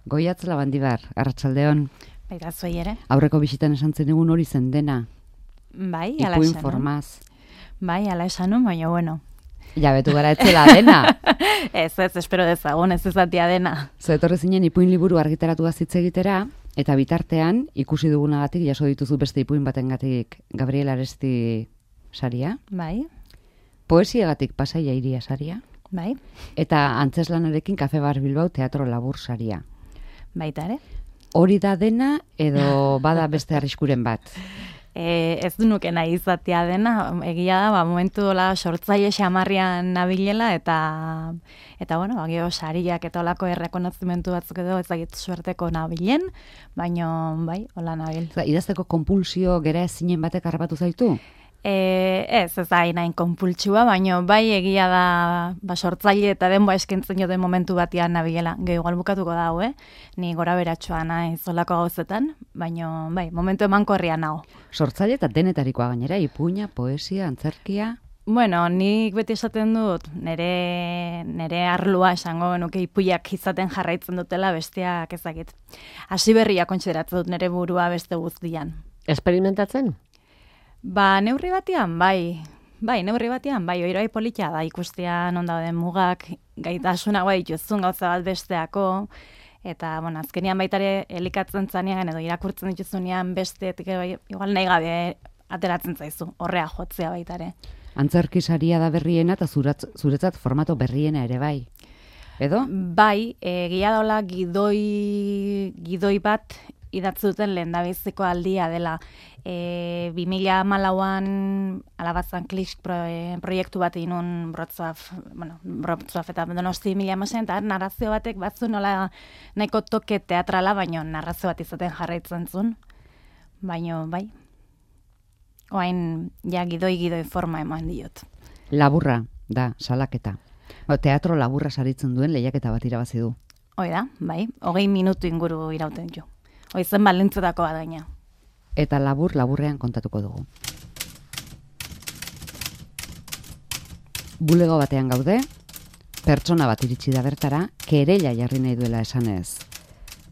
Goiatz Labandibar, arratsaldeon. Baita zuei ere. Aurreko bisitan esan zen egun hori zen dena. Bai, ala Ipuin esan. formaz. Bai, ala esan, baina bueno. Jabetu gara etzela dena. Ez, espero dezagun, ez ezatia dena. Zetorre zinen ipuin liburu argitaratu hitz egitera, eta bitartean, ikusi dugunagatik, jaso dituzu beste ipuin batengatik Gabriel Aresti saria. Bai. Poesiagatik Pasaia Iria saria. Bai. Eta Antzeslanarekin Kafe Bar Bilbao Teatro Labur saria. Baita ere. Hori da dena edo bada beste arriskuren bat? Ez du nuke nahi izatea dena, egia da, momentu dola sortzaile xamarrian nabilela, eta bueno, gero sariak eta olako errekonozimentu batzuk edo ezagit suerteko nabilen, baina bai, hola nabil. Idazteko konpulsio gera ezinen batek harrapatu zaitu? Ez hain konpultsua, baina bai egia da sortzaile eta denboa eskentzen joden momentu batean nabilela. Gero igual bukatuko da hau, ni gora beratxoa naiz olako gauzetan, baina bai, momentu emankorria nago. Sortzaile eta denetarikoa gainera, ipuina, poesia, antzerkia... Bueno, nik beti esaten dut, nere arlua esango genuke ipuiak izaten jarraitzen dutela besteak ezagit. Hasi berria kontsideratzen dut nere burua beste guztian. Esperimentatzen? Neurri batean, bai, oirai politia da ikustea non dauden mugak, gaitasunagoa dituzun gauza bat besteako, eta, bueno, azkenian baitare elikatzen zanean edo irakurtzen dituzunean besteetik igual nahi gabe ateratzen zaizu, horrea jotzea baitare. Antzerki saria da berriena eta zuretzat formato berriena ere bai. Edo? Bai, egia daula gidoi bat idatzi duten lehendabiziko aldia dela. 2014an Alabazan Klik proiektu bat inun Brotzaf eta Donosti 2016 eta narrazio batek batzu nola nahiko toke teatrala, baina narrazio bat izaten jarraitzen zuen. Baina bai, oain ja gidoi forma eman diot. Laburra da, salaketa. Teatro laburra saritzen duen lehiaketa bat irabazi du. Hoi da, bai, 20 minutu inguru irauten jo. Hoi zen balintzetako bat gaina. Eta laburrean kontatuko dugu. Bulego batean gaude, pertsona bat iritsi da bertara, kereila jarri nahi duela esanez.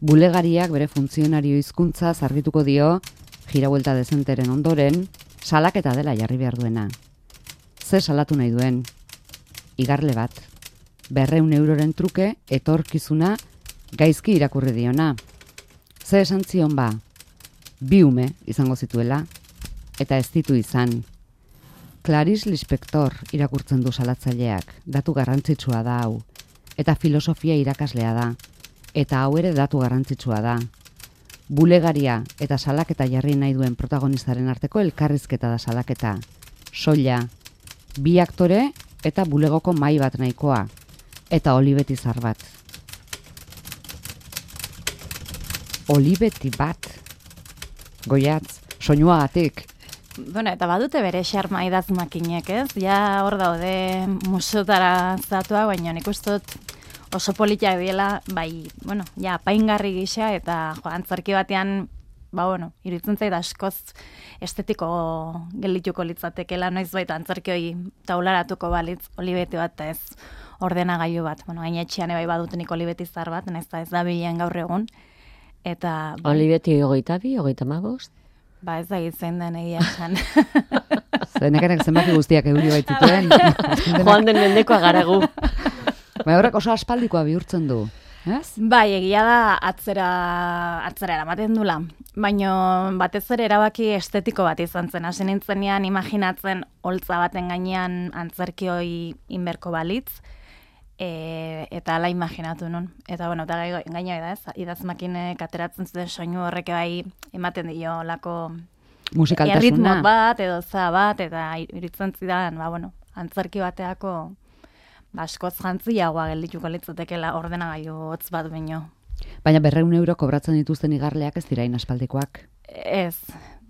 Bulegariak bere funtzionario hizkuntza argituko dio, girabuelta dezenteren ondoren, salaketa dela jarri behar duena. Ze salatu nahi duen? Igarle bat, 200 euroren truke, etorkizuna, gaizki irakurri diona. Ze esan zion ba? 2 ume izango zituela, eta ez ditu izan. Clarice Lispector irakurtzen du salatzaileak, datu garrantzitsua da hau, eta filosofia irakaslea da, eta hau ere datu garrantzitsua da. Bulegaria eta salaketa jarri nahi duen protagonistaren arteko elkarrizketa da salaketa. Soila, 2 aktore eta bulegoko mahai bat nahikoa, eta olibeti zar bat. Olibeti bat. Goiatz, soinuagatik. Bueno, eta badute bere xarma idaz makinek, ez? Ja hor daude musotara zatua, baina nik uste dut oso politiak diela, bai, bueno, ja, apaingarri gisa, eta antzerki batean, iruditzen zait askoz estetiko geldituko litzatekela, noiz baita antzerki hori taularatuko balitz, olibeti bat, ez ordenagailu bat. Bueno, gainetxean bai badutenik olibeti zar bat, ez da bilen gaur egun. Eta... Olibeti 22, 35? Ez da gitzen den egia esan. Zenekarak zenbaki guztiak euri baitzituen. Joan den mendekoa garagu. Horrek oso aspaldikoa bihurtzen du. Ez? Bai, egia da atzera eramaten dula. Baina batez ere erabaki estetiko bat izan zen. Hasi nintzenean imaginatzen holtza baten gainean antzerki hori inberko balitz. Eta ala imaginatu nun. Eta bueno, eta gaina da ez, idazmakinek ateratzen zuten soinu horrek bai ematen dio lako musikaltasuna. Erritmo bat edo za bat, eta iritzen zidan, antzerki bateako askoz jantziagoa geldituko litzatekela ordenagailu hotz bat baino. Baina 200 euro kobratzen dituzten igarleak ez dira inaspaldikoak. Ez.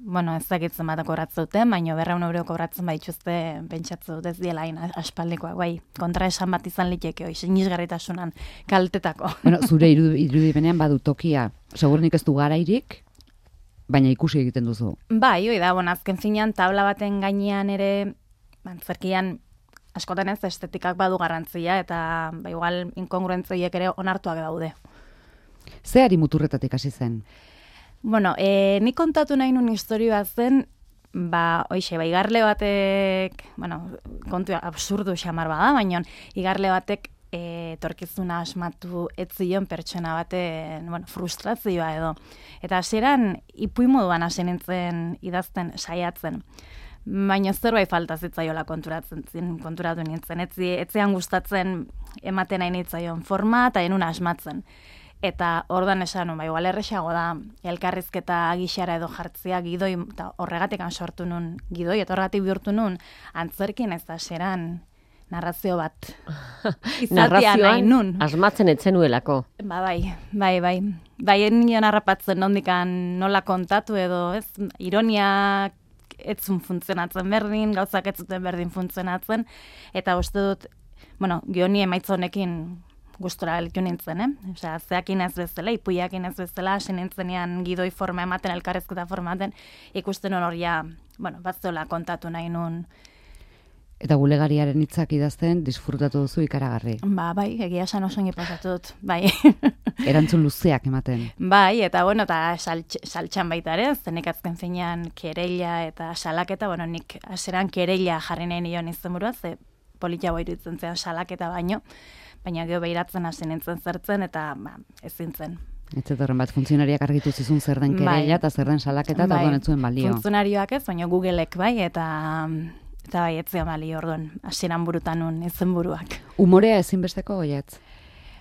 Bueno, ez dakitzen bat kobratzen duten, baina 200 euro kobratzen baituzte pentsatzen dut ez diela aspaldikoak, bai, kontra esan bat izan liteke, sinisgarritasunan kaltetako. Bueno, zure irudipenean badu tokia, segurunik ez du garairik, baina ikusi egiten duzu. Bai, da, azken finean tabla baten gainean ere, antzerkian askotan ez estetikak badu garrantzia, eta igual inkongruentziek ere onartuak daude. Zeari muturretatik hasi zen? Bueno, nik kontatu nahi nun historioa zen, igarle batek, kontu absurdu xamar bada, baina igarle batek etorkizuna asmatu ez zion pertsona baten, frustrazioa edo. Eta hasieran ipuin moduan hasi nintzen idazten saiatzen. Baina zerbait falta zitzaiola konturatu nintzen. Etzean gustatzen ematen nahi nitzaion forma eta enun asmatzen. Eta ordan esan, igual erresago da, elkarrizketa gixara edo jartzea gidoi, eta horregatik sortu nun gidoi, eta horregatik bihurtu nun, antzerkin ez da xeran narrazio bat. Izatea nahi nun. Asmatzen etzenuelako. Bai. Bai, nion harrapatzen nondikan nola kontatu edo, ez, ironiak etzun funtzionatzen berdin, gauzak ez zuten berdin funtzionatzen, eta uste dut, gioni emaitza honekin gustora elitu nintzen, Osea, zeakin ez bezala, ipuiakin ez bezala, hasi nintzenean gidoi forma ematen, elkarrezketa forma ematen, ikusten hor ja, batzola kontatu nahi nun. Eta bulegariaren hitzak idazten disfrutatu duzu ikaragarri. Bai, egia esan oso ongi pasatu dut, bai. Erantzun luzeak ematen. Bai, eta saltxan baita ere, zenek azken finean kereila eta salaketa, nik aseran kereila jarri nahi nion izenburua, ze politia iruditzen zen salaketa baina geho behiratzen hasi nintzen zertzen, eta ezin zen. Ez horren bat, funtzionariak argitu zizun zer den kereila eta zer den salaketa, eta orduan ez zuen balio. Funtzionarioak ez, baina Googleek bai, eta bai, ez zian balio orduan, hasieran burutan nun izenburuak. Umorea ezinbesteko goiatz?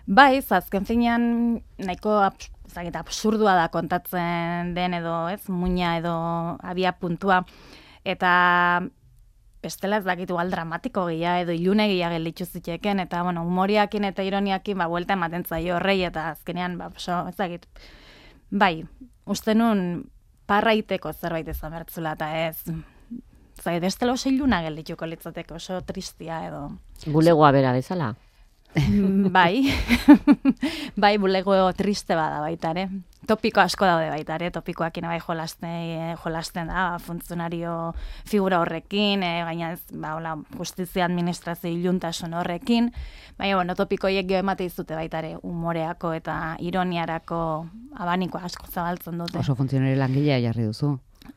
Bai, azken finean nahiko absurdua da kontatzen den edo, ez, muina edo abia puntua, eta bestela ez dakitu dramatiko gila edo ilune gila gelitzu ziteken, eta humoriakin eta ironiakin buelta ematen zaio horrei, eta azkenean, ez dakit, bai, uste nun parraiteko zerbait izan bertzula, eta ez, bestela oso iluna gelitzuko litzateke, oso tristia edo. Bulegoa bera bezala? Bai, bulego triste bada baita ere. Topiko asko daude baita ere, topikoakin bai jolasten da, funtzionario figura horrekin, gaina ez, justizia administrazio iluntasun horrekin, baina, topikoiek geho emate izute baita ere, humoreako eta ironiarako abaniko asko zabaltzen dute. Oso funtzionari langilea jarri duzu.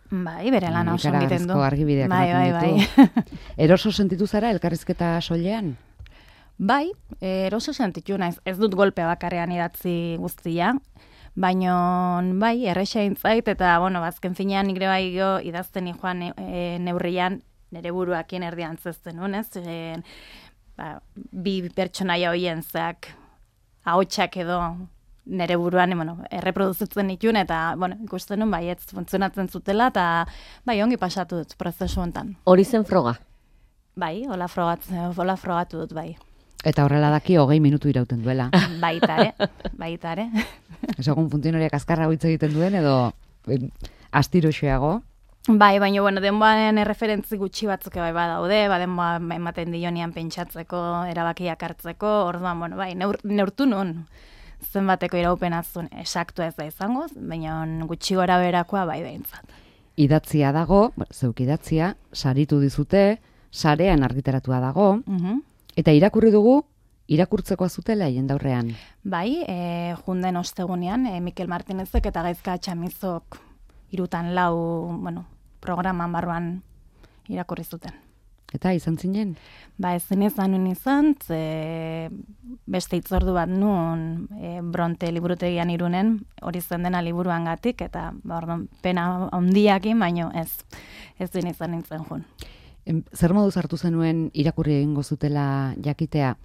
Bai, bere lan oso egiten du. Argibideak ematen ditu. Eroso sentitu zara elkarrizketa soilean? Bai, eroso sentitu naiz, ez dut golpe bakarrean idatzi guztia, baina bai, erresa intzait, eta azken finean nire bai idazten joan neurrian nire buruakin erdian zezten nun, ez? Bi pertsonaia hoien zeak ahotsak edo nire buruan erreproduzitzen ditun, eta ikusten nun bai, ez funtzionatzen zutela, eta bai, ongi pasatu dut prozesu honetan. Hori zen froga? Bai, hola frogatu dut, bai. Eta horrela daki 20 minutu irauten duela. Baita ere. Ez egun funtzionariak azkarra hitz egiten duen, edo astiroxeago? Bai, baina, denboaren erreferentzi gutxi batzuk bai badaude, denboa ematen dionian pentsatzeko, erabakiak hartzeko, orduan, bai, neurtu nun zenbateko iraupenazun esaktua ez da izango, baina gutxi gora berakoa bai behintzat. Idatzia dago, zeuk idatzia, saritu dizute, sarean argitaratua dago, eta irakurri dugu, irakurtzekoa zutela jendaurrean. Bai, junden ostegunean, Mikel Martinezek eta Gaizka Txamizok 3-4 programan barruan irakurri zuten. Eta izan zinen? Ba, ezin izan, beste hitzordu bat nun Bronte liburutegian Irunen, hori zen dena liburuan gatik, eta pena handiakin, baino ez izan nintzen jun. Zer moduz hartu zenuen irakurri egingo zutela jakitea,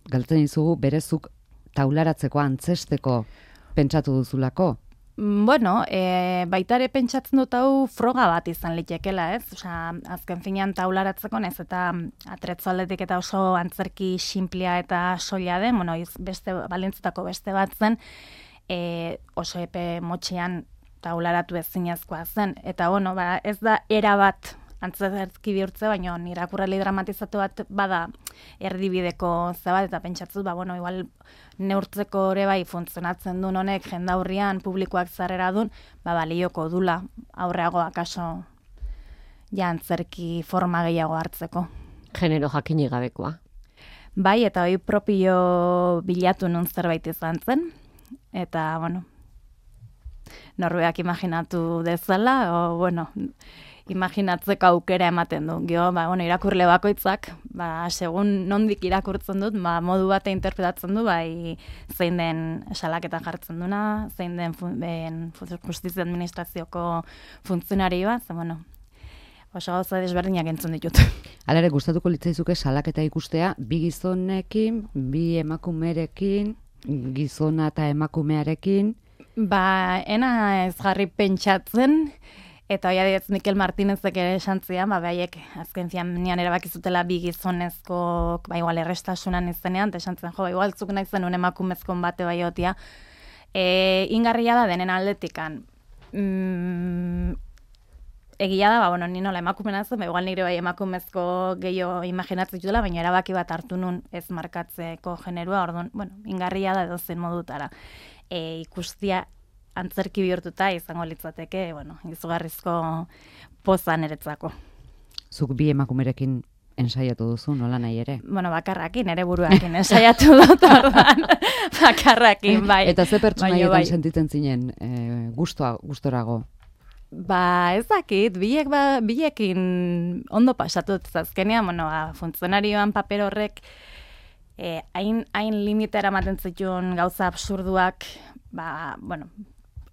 galtzen dizugu berezuk taularatzeko, antzesteko pentsatu duzulako? Baitare pentsatzen dut hau froga bat izan litekela, ez? Osea, azken finean taularatzeko, ez eta atretzaldetik eta oso antzerki sinplea eta soila den, balentzetako beste bat zen, oso epe motxean taularatu ezinezkoa zen. Eta, ez da era bat antzerki bihurtze, baina irakurrali dramatizatu bat bada erdibideko zebat, eta pentsatzut, igual neurtzeko ere bai funtzionatzen duen honek jendaurrian publikoak zarrera duen, balioko dula aurreago akaso antzerki forma gehiago hartzeko. Genero jakinik gabekoa. Bai, eta hori propio bilatu nun zerbait izan zen, eta, bueno, norbeak imaginatu dezala, o, bueno, imaginatzeko aukera ematen du. Gio, bueno, irakurle bakoitzak, segun nondik irakurtzen dut, modu bate interpretatzen du, bai zein den salaketan jartzen duna, zein den justizia administrazioko funtzionarioa, bueno, oso gauza desberdinak entzun ditut. Hala ere, gustatuko litzaizuke salaketa ikustea, bi gizonekin, bi emakumerekin, gizona eta emakumearekin. Ena ez jarri pentsatzen, eta hoi adidez Mikel Martinezek ere esan zian, behaiek azken fianean erabakizutela bi gizonezko, igual errestasunan izenean, eta esan zen, igual zuk nahi zenun emakumezkon bate baiotia. Ingarria da denen aldetikan. Egia da, bueno, ni nola emakumena zen, igual nire bai emakumezko gehiago imaginatzen dutela, baina erabaki bat hartu nun ez markatzeko generua, orduan, bueno, ingarria da edozein modutara. Ikustia antzerki bihurtuta izango litzateke, bueno, izugarrizko poza niretzako. Zuk bi emakumerekin ensaiatu duzu, nola nahi ere? Bueno, bakarrakin, ere buruakin ensaiatu dut ordan, bakarrakin, bai. Eta ze pertsonaietan sentitzen zinen gustorago? Ez dakit, bilekin ondo pasatu zazkenean, bueno, funtzionarioan paper horrek hain limitera ematen zituen gauza absurduak, bueno,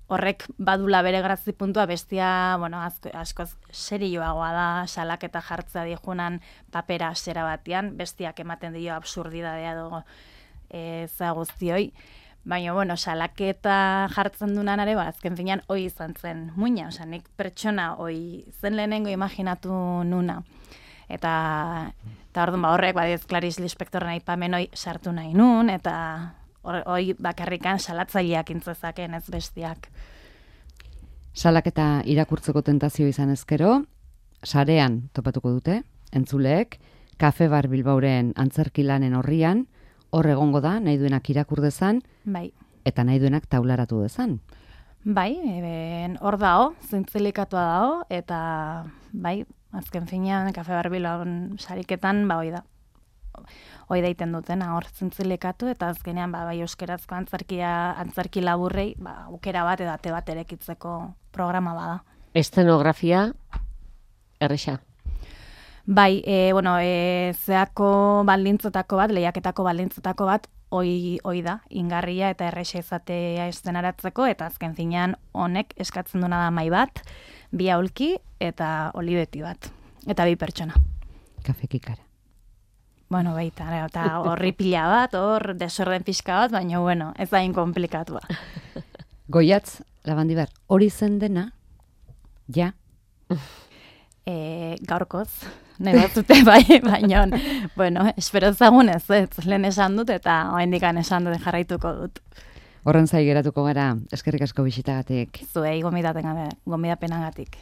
horrek badula bere grazi puntua, bestia, bueno, askoz serioagoa da, salaketa jartzea dijunan papera zera batean, bestiak ematen dio absurdidadea dugu za guztioi. Baina, bueno, salaketa jartzen dunan ere, azken finean, hoi izan zen muina, nik pertsona hoi zen lehenengo imaginatu nuna. Eta orduan horrek, badiez Clarice Lispectorren aipamen hoi sartu nahi nun, eta hoi bakarrikan salatzaileak intzezaken ez bestiak. Salaketa irakurtzeko tentazio izan ezkero, sarean topatuko dute, entzuleek, Kafe Bar Bilbauren antzerkilanen horrian, hor egongo da, nahi duenak irakur dezan, bai. Eta nahi duenak taularatu dezan. Bai, hor dao, zintzelikatua dao, eta bai, azken finean, Kafe Bar Bilbaun sariketan, hoi da. Hoi da iten dutena, hor zintzelikatu, eta azkenean, bai, euskerazko antzerki laburrei, aukera bat edate bat erekitzeko programa bada. Estenografia, erresa. Bai, bueno, zeako baldintzotako bat, lehiaketako baldintzotako bat, hoi da, ingarria eta erresa izatea estenaratzeko, eta azken finean honek eskatzen duna da mai bat, bi aulki eta olibeti bat, eta bi pertsona. Kafekikara. Bueno, baita, eta horri pila bat, hor desorden pixka bat, baina, bueno, ez da inkomplikatua. Goiatz, Labandibar, hori zen dena, ja? Gaurkoz, nahi batzute bai, baina, bueno, espero zagunez, lehen esan dut eta oraindikan esan dut jarraituko dut. Horren zai geratuko gara, eskerrik asko bisitagatik. Zuei gomidapenagatik.